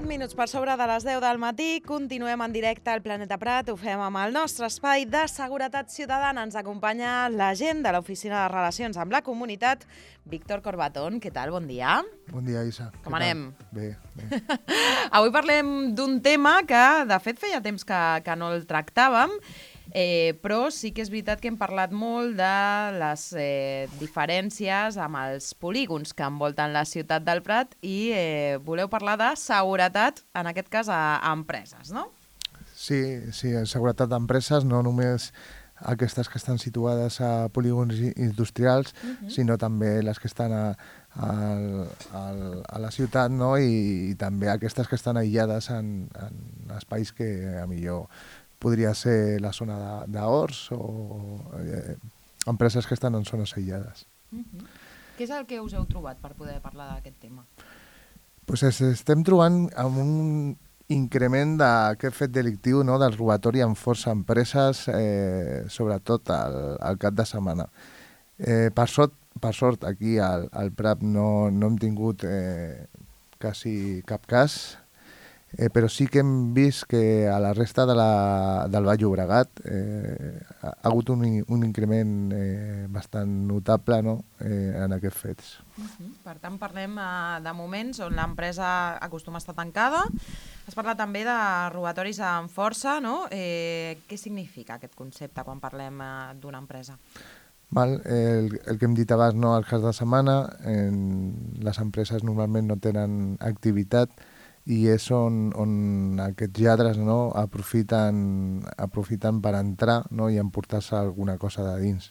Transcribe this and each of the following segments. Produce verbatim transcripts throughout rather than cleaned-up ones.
set minuts per sobre de les deu del matí, continuem en directe al Planeta Prat, ho fem amb el nostre espai de seguretat ciutadana. Ens acompanya l'agent de l'Oficina de Relacions amb la Comunitat, Víctor Corbatón. Què tal? Bon dia. Bon dia, Isa. Com anem? Bé, bé. Avui parlem d'un tema que, de fet, feia temps que, que no el tractàvem, Eh, però sí que és veritat que hem parlat molt de les eh, diferències amb els polígons que envolten la ciutat del Prat i eh, voleu parlar de seguretat, en aquest cas a, a empreses, no? Sí, sí, seguretat d'empreses, no només aquestes que estan situades a polígons industrials, uh-huh. sinó també les que estan a, a, a, a la ciutat, no? I, i també aquestes que estan aïllades en, en espais que a millor podria ser la zona d'Horts o eh, empreses que estan en zones aïllades. Uh-huh. Què és el que us heu trobat per poder parlar d'aquest tema? Pues es, estem trobant amb un increment d'aquest fet delictiu, no?, del robatori amb força a empreses, eh, sobretot al, al cap de setmana. Eh, per, sort, per sort, aquí al, al Prat no, no hem tingut eh, quasi cap cas, Eh, però sí que hem vist que a la resta de la, del Baix Llobregat eh, ha hagut un, un increment eh, bastant notable, no?, eh, en aquests fets. Uh-huh. Per tant, parlem uh, de moments on l'empresa acostuma a estar tancada. Has parlat també de robatoris amb força, no? Eh, què significa aquest concepte quan parlem uh, d'una empresa? Val, el, el que hem dit abans, no?, al cas de setmana, en, les empreses normalment no tenen activitat, i és on, on aquests lladres, no?, aprofiten, aprofiten per entrar, no?, i emportar-se alguna cosa de dins.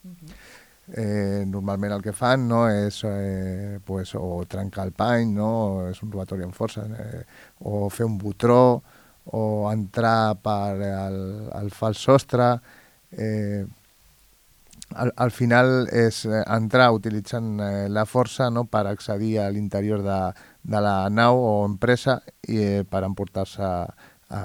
Uh-huh. eh, normalment el que fan, no?, és eh, pues, o trencar el pany, no?, és un robatori amb força, eh, o fer un botró, o entrar per el, el fals sostre. Eh, al, al final és entrar utilitzant eh, la força, no?, per accedir a l'interior de de la nau o empresa i eh, per emportar-se a, a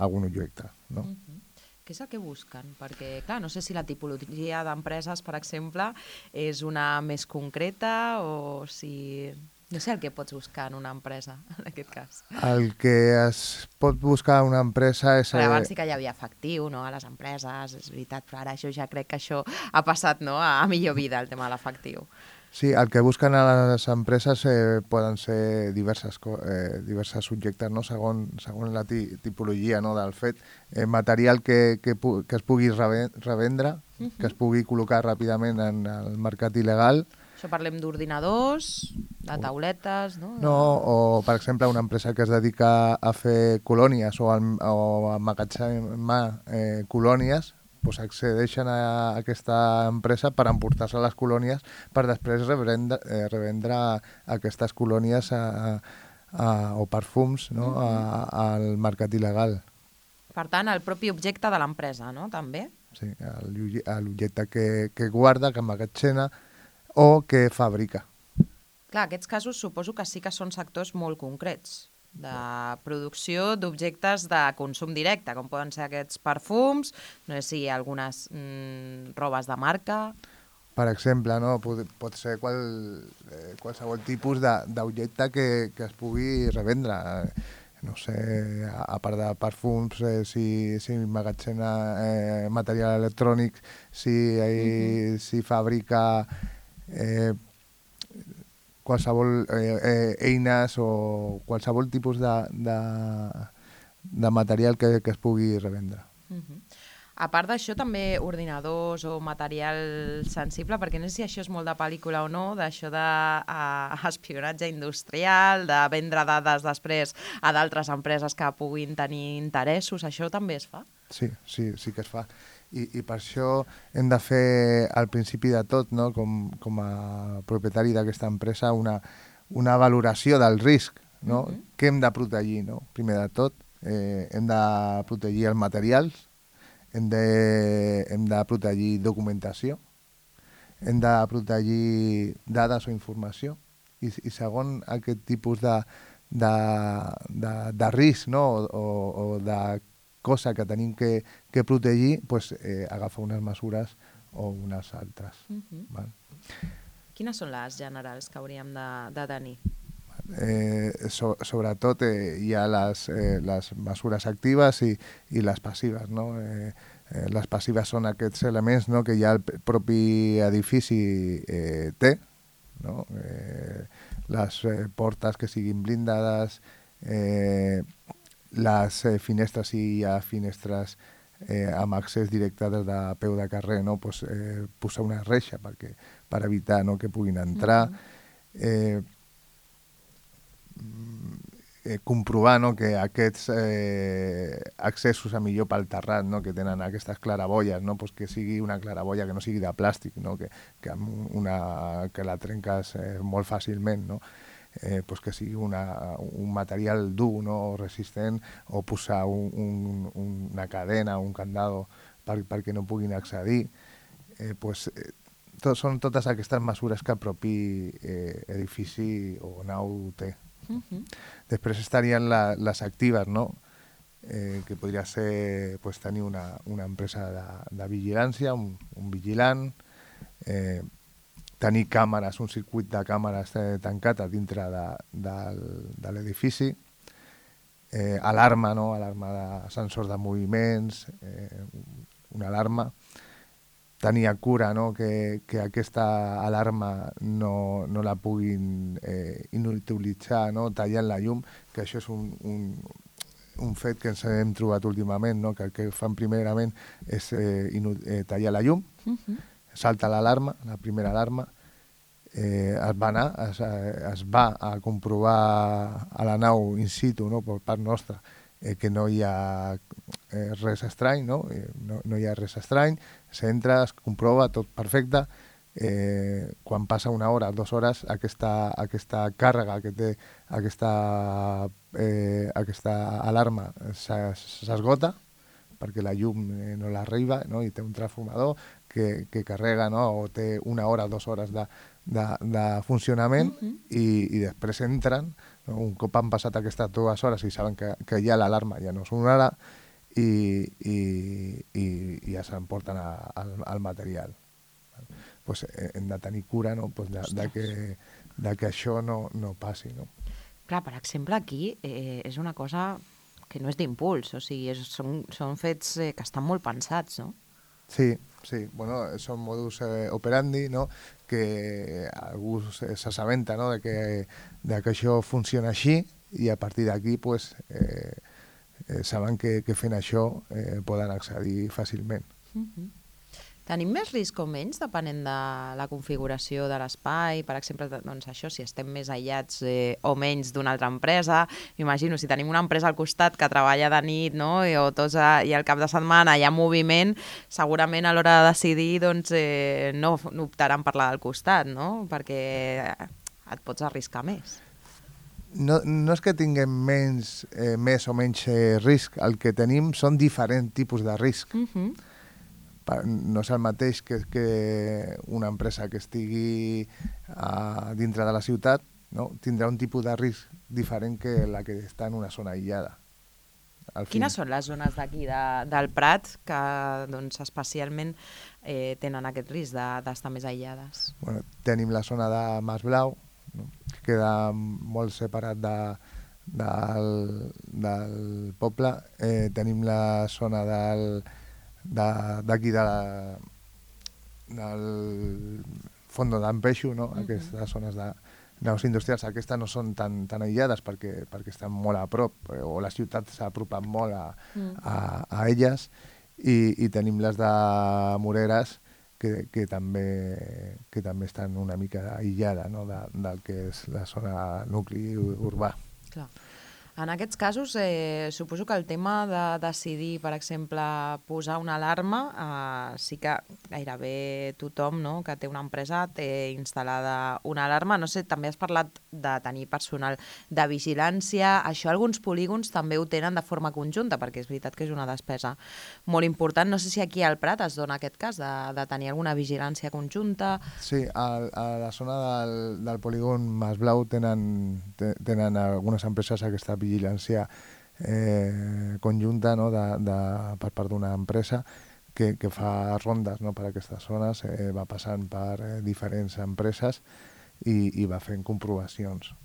algun objecte, no? Uh-huh. Què és el que busquen? Perquè, clar, no sé si la tipologia d'empreses, per exemple, és una més concreta o si... No sé el que pots buscar en una empresa, en aquest cas. El que es pot buscar en una empresa és... Però abans sí que hi havia efectiu, no?, a les empreses, és veritat, però ara això ja crec que això ha passat, no?, a millor vida, el tema de l'efectiu. Sí, el que busquen a les empreses eh, poden ser diverses, eh, diverses subjectes, no?, segon, segons la tipologia, no?, del fet. Eh, material que, que, que es pugui revendre, uh-huh. que es pugui col·locar ràpidament en el mercat il·legal. Això parlem d'ordinadors, de tauletes, no? No, o, per exemple, una empresa que es dedica a fer colònies o a, o a emmagatzemar eh, colònies, pues accedeixen a aquesta empresa per emportar-se les colònies per després revendre, eh, revendre aquestes colònies a, a, o perfums, no?, a, al mercat il·legal. Per tant, el propi objecte de l'empresa, no?, també? Sí, l'objecte que, que guarda, que emmagatzema o que fabrica. Clar, aquests casos suposo que sí que són sectors molt concrets, de producció d'objectes de consum directe, com poden ser aquests perfums, no sé si hi ha algunes mm, robes de marca... Per exemple, no? pot, pot ser qual, eh, qualsevol tipus d'objecte que, que es pugui revendre. No sé, a, a part de perfums, eh, si, si emmagatzema eh, material electrònic, si, eh, uh-huh. si fabrica... Eh, qualsevol eh, eh, eines o qualsevol tipus de, de, de material que, que es pugui revendre. Uh-huh. A part d'això, també ordinadors o material sensible, perquè no sé si això és molt de pel·lícula o no, d'això d'espionatge industrial, de vendre dades després a d'altres empreses que puguin tenir interessos, això també es fa? Sí, sí, sí que es fa. I, i per això hem de fer al principi de tot, no?, com, com a propietari d'aquesta empresa, una, una valoració del risc, no? Uh-huh. Què hem de protegir, no? Primer de tot, eh, hem de protegir els materials, hem de, hem de protegir documentació, hem de protegir dades o informació, i, i segon aquest tipus de, de, de, de risc, no?, o, o, o de cosa que tenim que, que protegir, pues, eh, agafar unes mesures o unes altres. Uh-huh. Val? Quines són les generals que hauríem de, de tenir? Eh, so, sobretot eh, hi ha les, eh, les mesures actives i, i les passives, no? Eh, eh, les passives són aquests elements, no?, que ja el propi edifici eh, té, no? Eh, les eh, portes que siguin blindades, eh, les eh, finestres, si hi ha finestres eh, amb accés directe des de peu de carrer, no? Pues, eh, posar una reixa perquè, per evitar, no?, que puguin entrar. Eh, eh, comprovar, no?, que aquests eh, accessos a millor pel terrat, no?, que tenen aquestes claraboies, no?, pues que sigui una claraboia que no sigui de plàstic, no?, que, que, amb una, que la trenques eh, molt fàcilment, no?, eh, pues que sigui una, un material dur, no?, resistent, o posar un, un, una cadena, un candado per, perquè no puguin accedir. Eh, pues, eh, tot, són totes aquestes mesures que el propi eh, edifici o nau té. Uh-huh. Després estarien la, les actives, no? Eh, que podria ser pues, tenir una, una empresa de, de vigilància, un, un vigilant, eh, tenir càmeres, un circuit de càmeres eh, tancat a dintre de, de, de l'edifici, eh, alarma, no? Alarma de sensors de moviments, eh, una alarma, tenir cura, no?, que, que aquesta alarma no, no la puguin eh, inutilitzar, no?, tallant la llum, que això és un, un, un fet que ens hem trobat últimament, no?, que el que fan primerament és eh, inu, eh, tallar la llum, uh-huh. Salta l'alarma, la primera alarma, eh, es va anar, es, es va a comprovar a la nau in situ, no?, per part nostra, eh, que no hi ha eh, res estrany, no? Eh, no, no hi ha res estrany, s'entra, es comprova, tot perfecte, eh, quan passa una hora, dues hores, aquesta, aquesta càrrega que té aquesta, eh, aquesta alarma s'esgota, perquè la llum eh, no l'arriba, no? I té un transformador que, que carrega, no?, o té una hora, dues hores de, de, de funcionament, uh-huh. i, i després entren, no? Un cop han passat aquestes dues hores i saben que, que ja l'alarma ja no sonarà, i, i, i, i ja s'emporten al, al material. Pues hem de tenir cura, no?, pues de, de, que, de que això no, no passi. No? Clar, per exemple, aquí eh, és una cosa que no és d'impuls, o sigui, és, són, són fets eh, que estan molt pensats, no? Sí, sí, bueno, són modus eh, operandi, no?, que algú s'assabenta, no?, de que, de que això funciona així, i a partir d'aquí, pues, eh, eh, saben que, que fent això eh, poden accedir fàcilment. Uh-huh. Tenim més risc o menys depenent de la configuració de l'espai? Per exemple, doncs això, si estem més aïllats eh, o menys d'una altra empresa. M'imagino, si tenim una empresa al costat que treballa de nit, no?, i, o tots a, i al cap de setmana hi ha moviment, segurament a l'hora de decidir doncs, eh, no, no optaran per la del costat, no?, perquè et pots arriscar més. No, no és que tinguem menys, eh, més o menys eh, risc. El que tenim són diferents tipus de risc. Uh-huh. No és el mateix que, que una empresa que estigui a, dintre de la ciutat, no?, tindrà un tipus de risc diferent que la que està en una zona aïllada. Quines són les zones d'aquí de, del Prat que doncs, especialment eh, tenen aquest risc d'estar més aïllades? Bueno, tenim la zona de Mas Blau, no?, que queda molt separat de, del, del poble. Eh, tenim la zona del d'aquí de, de del Fondo d'Ampeixo, no? Uh-huh. Aquestes zones de naus industrials, aquestes no són tan, tan aïllades perquè, perquè estan molt a prop, eh, o la ciutat s'ha apropat molt a, uh-huh. a, a elles, i, i tenim les de Moreres que, que, també, que també estan una mica aïllades, no?, de, del que és la zona nucli urbà. Clar. En aquests casos, eh, suposo que el tema de decidir, per exemple, posar una alarma, eh, sí que gairebé tothom, no?, que té una empresa té instal·lada una alarma. No sé, també has parlat de tenir personal de vigilància. Això alguns polígons també ho tenen de forma conjunta, perquè és veritat que és una despesa molt important. No sé si aquí al Prat es dona aquest cas de, de tenir alguna vigilància conjunta. Sí, a, a la zona del, del polígon Mas Blau tenen, tenen algunes empreses aquesta vigilància eh, conjunta, no?, de, de, per part d'una empresa que, que fa rondes, no?, per aquestes zones, eh, va passant per eh, diferents empreses i, i va fent comprovacions.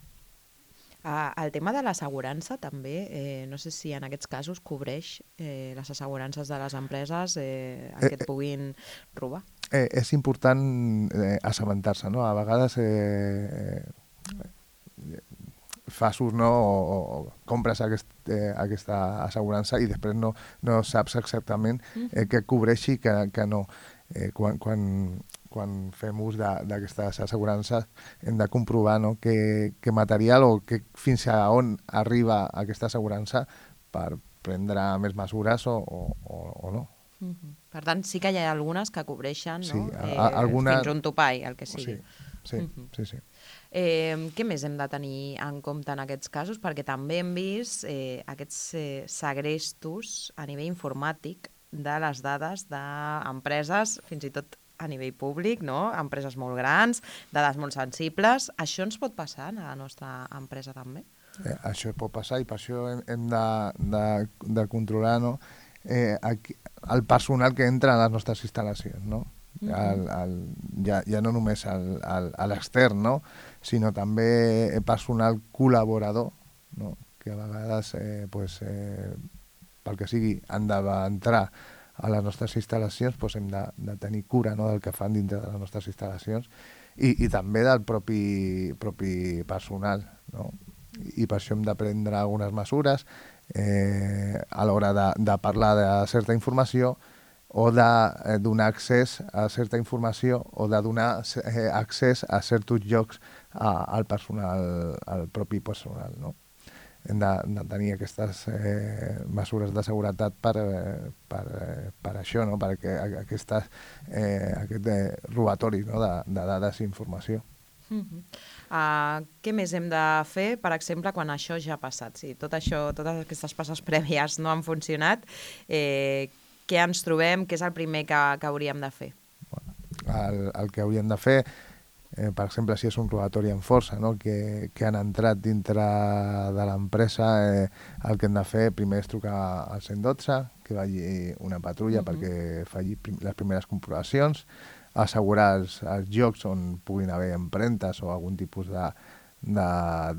Uh, el tema de l'assegurança també, eh, no sé si en aquests casos cobreix eh, les assegurances de les empreses eh, en què et puguin robar. Eh, és important eh, assabentar-se, no? A vegades eh, eh, fas ús, no? O, o compres aquest, eh, aquesta assegurança i després no, no saps exactament eh, què cobreixi i què, què no. Eh, quan, quan, quan fem ús d'aquestes assegurances hem de comprovar, no? que, que material o que, fins a on arriba aquesta assegurança per prendre més mesures o, o, o no. Uh-huh. Per tant, sí que hi ha algunes que cobreixen, sí, no? Eh, alguna... fins un topall, el que sigui. Sí, sí, uh-huh. sí, sí. Eh, què més hem de tenir en compte en aquests casos? Perquè també hem vist eh, aquests eh, segrestos a nivell informàtic de les dades d'empreses, fins i tot a nivell públic, no? Empreses molt grans, dades molt sensibles. Això ens pot passar a la nostra empresa també? Eh, això pot passar i per això hem, hem de, de, de controlar, no? eh, aquí, el personal que entra a les nostres instal·lacions, no? Uh-huh. el, el, ja, ja no només a l'extern, no? Sinó també personal col·laborador, no? Que a vegades eh, pues, eh, pel que sigui, han d'entrar a les nostres instal·lacions, doncs hem de, de tenir cura, no? Del que fan dintre de les nostres instal·lacions i, i també del propi, propi personal, no? I per això hem de prendre algunes mesures eh, a l'hora de, de parlar de certa informació o de eh, donar accés a certa informació o de donar eh, accés a certs llocs a, al personal, al propi personal, no? Hem de, de tenir aquestes eh, mesures de seguretat per, eh, per, eh, per això, no? Perquè aquestes, eh, aquest eh, robatori, no? de, de dades i informació. Uh-huh. uh, què més hem de fer, per exemple, quan això ja ha passat? Si tot això, totes aquestes passes prèvies no han funcionat, eh, què ens trobem? Què és el primer que, que hauríem de fer? Bueno, el, el que hauríem de fer, Eh, per exemple, si és un robatori en força, no? que, que han entrat dintre de l'empresa, eh, el que hem de fer primer és trucar al cent i dotze, que vagi una patrulla uh-huh. perquè faci prim les primeres comprovacions, assegurar els, els llocs on puguin haver empremtes o algun tipus de, de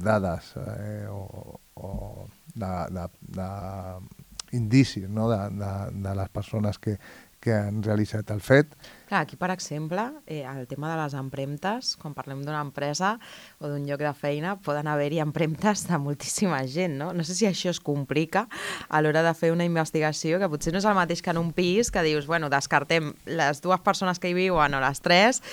dades eh, o, o de, de, de indicis, no? de, de, de les persones que, que han realitzat el fet. Clar, aquí, per exemple, eh, el tema de les empremtes, quan parlem d'una empresa o d'un lloc de feina, poden haver-hi empremtes de moltíssima gent, no? No sé si això es complica a l'hora de fer una investigació, que potser no és el mateix que en un pis, que dius, bueno, descartem les dues persones que hi viuen o les tres,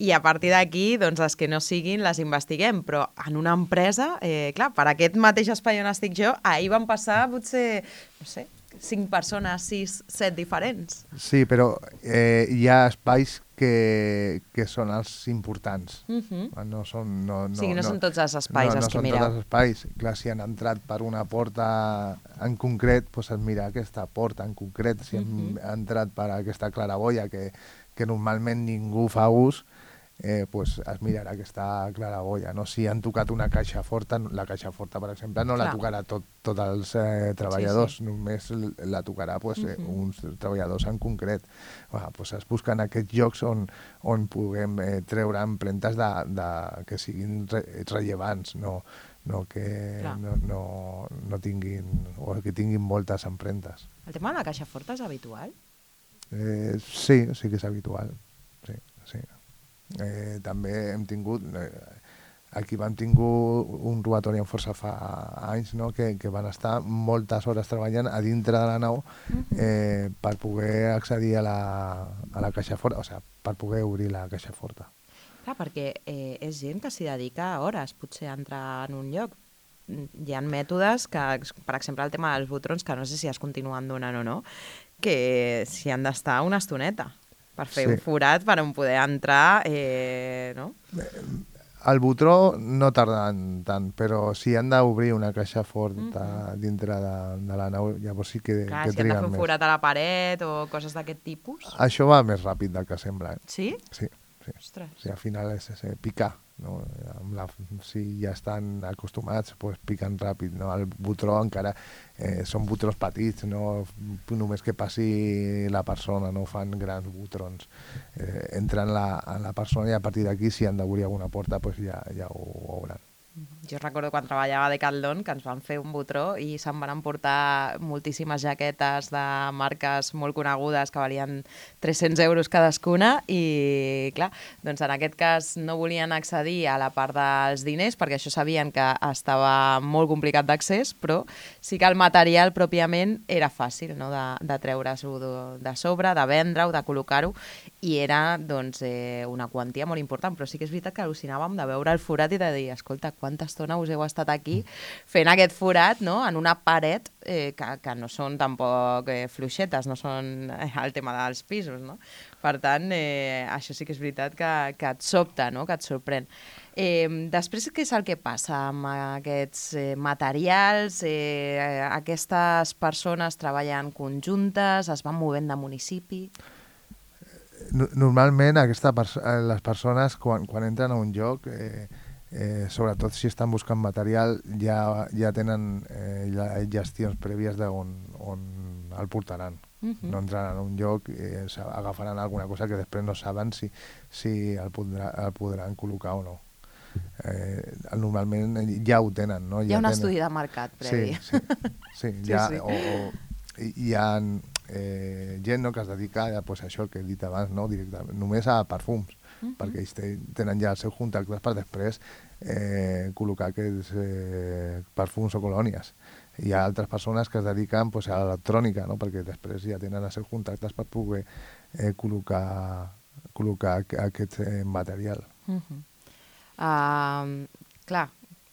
i a partir d'aquí, doncs, les que no siguin les investiguem, però en una empresa, eh, clar, per aquest mateix espai on estic jo, ahir van passar potser, no sé, cinc persones, sis, set diferents. Sí, però eh, hi ha espais que, que són els importants. Uh-huh. No són, no, no, sí, no, no són tots els espais no, els no que mireu. No són tots els espais. Clar, si han entrat per una porta en concret, doncs es mira aquesta porta en concret. Si uh-huh. han entrat per aquesta claraboia que, que normalment ningú fa ús, eh, pues es mirarà aquesta claraboia, no? Si han tocat una caixa forta, la caixa forta, per exemple, no Clar. la tocarà tot, tots els eh, treballadors, sí, sí. només la tocarà pues, uh-huh. eh, uns treballadors en concret. Bueno, pues es busquen aquests llocs on, on puguem eh, treure empremtes de, de, que siguin re, rellevants, no, no que no, no, no tinguin, o que tinguin moltes empremtes. El tema de la caixa forta és habitual? Eh, sí, sí que és habitual, sí, sí. Eh, també hem tingut eh, aquí vam tingut un robatori en força fa anys, no? que, que van estar moltes hores treballant a dintre de la nau eh, per poder accedir a la, a la caixa forta, o sigui, per poder obrir la caixa forta. Clar, perquè eh, és gent que s'hi dedica hores potser a entrar en un lloc. Hi ha mètodes que, per exemple, el tema dels botrons, que no sé si es continuen donant o no, que s'hi han d'estar una estoneta per fer sí. un forat per on poder entrar, eh, no? El botró no tarda tant, però si han d'obrir una caixa forta mm-hmm. dintre de, de la nau, llavors sí que, Clar, que si triguen més. Si han de fer un forat a la paret o coses d'aquest tipus? Això va més ràpid del que sembla. Eh? Sí? Sí. sí. Ostres. Sí, al final és, és picar. No? La, si ja estan acostumats, pues piquen ràpid. No? El botró encara eh, són botrons petits, no? Només que passi la persona, no fan grans botrons. Eh, entren la, en la persona i a partir d'aquí, si han d'obrir alguna porta, pues ja, ja ho veuran. jo recordo quan treballava a Decathlon que ens van fer un botró i se'n van emportar moltíssimes jaquetes de marques molt conegudes que valien tres-cents euros cadascuna i, clar, doncs en aquest cas no volien accedir a la part dels diners perquè això sabien que estava molt complicat d'accés, però sí que el material pròpiament era fàcil, no?, de, de treure-s'ho de, de sobre, de vendre-ho, de col·locar-ho, i era doncs, eh, una quantia molt important, però sí que és veritat que al·lucinàvem de veure el forat i de dir, escolta, quanta estona us heu estat aquí fent aquest forat, no?, en una paret eh, que, que no són tampoc eh, fluixetes, no són eh, el tema dels pisos, no? Per tant, eh, això sí que és veritat que, que et sobta, no?, que et sorprèn. Eh, després, què és el que passa amb aquests eh, materials? Eh, aquestes persones treballen conjuntes, es van movent de municipi? Normalment aquesta pers les persones quan, quan entren a un lloc, eh, eh, sobretot si estan buscant material, ja, ja tenen eh, ja, gestions prèvies d'on on el portaran. Uh-huh. No entraran a un lloc i eh, agafaran alguna cosa que després no saben si, si el, podrà, el podran col·locar o no. Eh, normalment ja ho tenen, no? Hi ha ja un tenen... estudi de mercat previ. Sí, sí, sí, ja, sí, sí. O, o, hi, hi ha eh, gent, no?, que es dedica a pues, això el que he dit abans, no?, directament, només a perfums, uh-huh. perquè ells tenen ja els seus contactes per després eh, col·locar aquests eh, perfums o colònies. Hi ha altres persones que es dediquen pues, a l'electrònica, no?, perquè després ja tenen els seus contactes per poder eh, col·locar, col·locar aquest eh, material. Uh-huh. Uh, clar,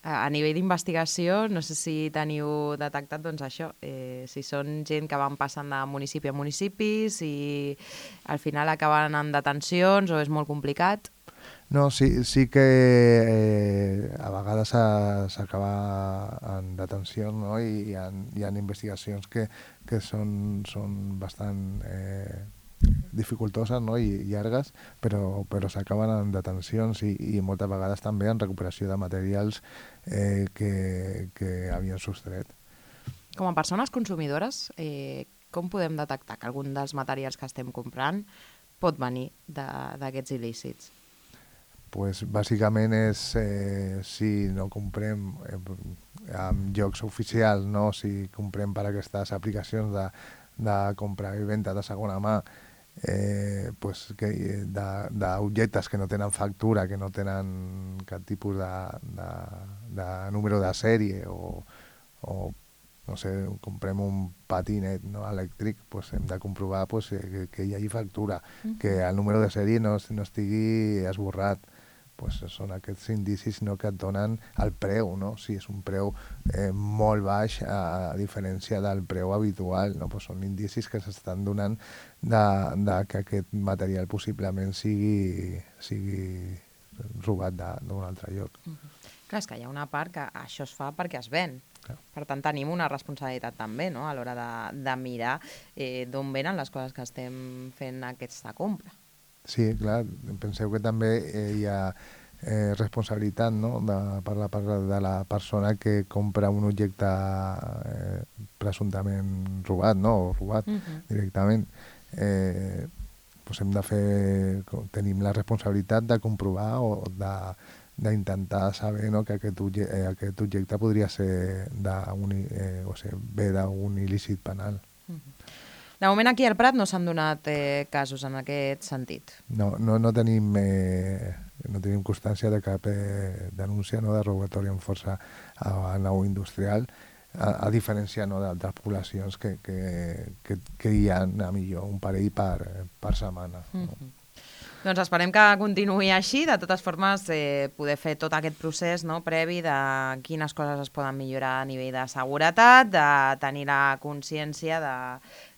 a nivell d'investigació, no sé si teniu detectat doncs, això, eh, si són gent que van passant de municipi a municipi, si al final acaben en detencions o és molt complicat. No, sí, sí que eh, a vegades s'acaba en detenció, no? I hi ha, hi ha investigacions que, que són, són bastant eh, dificultoses, no?, i llargues, però, però s'acaben en detencions i, i moltes vegades també en recuperació de materials eh, que, que havien sostret. Com a persones consumidores, eh, com podem detectar que algun dels materials que estem comprant pot venir d'aquests il·lícits? Pues, bàsicament és eh, si no comprem eh, en llocs oficials, no? Si comprem per aquestes aplicacions de, de compra i venda de segona mà, eh, pues, que, d'objectes que no tenen factura, que no tenen cap tipus de, de, de número de sèrie o, o no sé, comprem un patinet, no?, elèctric, pues hem de comprovar pues, que, que hi hagi factura, mm. que el número de sèrie no, no estigui esborrat. Pues són aquests indicis, no?, que et donen el preu, no? Si és un preu eh, molt baix a, a diferència del preu habitual, no? Pues són indicis que s'estan donant de, de que aquest material possiblement sigui, sigui robat d'un altre lloc. Uh -huh. Clar, és que hi ha una part que això es fa perquè es ven. Clar. Per tant, tenim una responsabilitat també, no?, a l'hora de, de mirar eh, d'on venen les coses que estem fent aquesta compra. Sí, clar, penseu que també eh, hi ha eh, responsabilitat, no?, de, per la part de la persona que compra un objecte eh, presumptament robat, no?, o robat uh-huh. directament. Eh, doncs hem de fer, tenim la responsabilitat de comprovar o de d'intentar saber, no?, que aquest objecte, eh, aquest objecte podria ser d'un, eh, o sigui, ve d'un il·lícit penal. Uh-huh. De moment aquí al Prat no s'han donat eh, casos en aquest sentit. No, no, no, tenim, eh, no tenim constància de cap eh, denúncia, no?, de robatori amb força a, a nau industrial, a, a diferència, no?, d'altres poblacions que, que, que, que hi ha a millor un parell per, per setmana. No? Uh-huh. Doncs esperem que continuï així. De totes formes, eh, poder fer tot aquest procés, no?, previ de quines coses es poden millorar a nivell de seguretat, de tenir la consciència de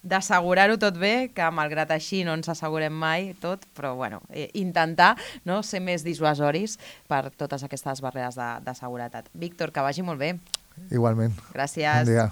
d'assegurar-ho tot bé, que malgrat així no ens assegurem mai tot, però bueno, eh, intentar, no?, ser més dissuasoris per totes aquestes barreres de, de seguretat. Víctor, que vagi molt bé. Igualment. Gràcies. Bon dia.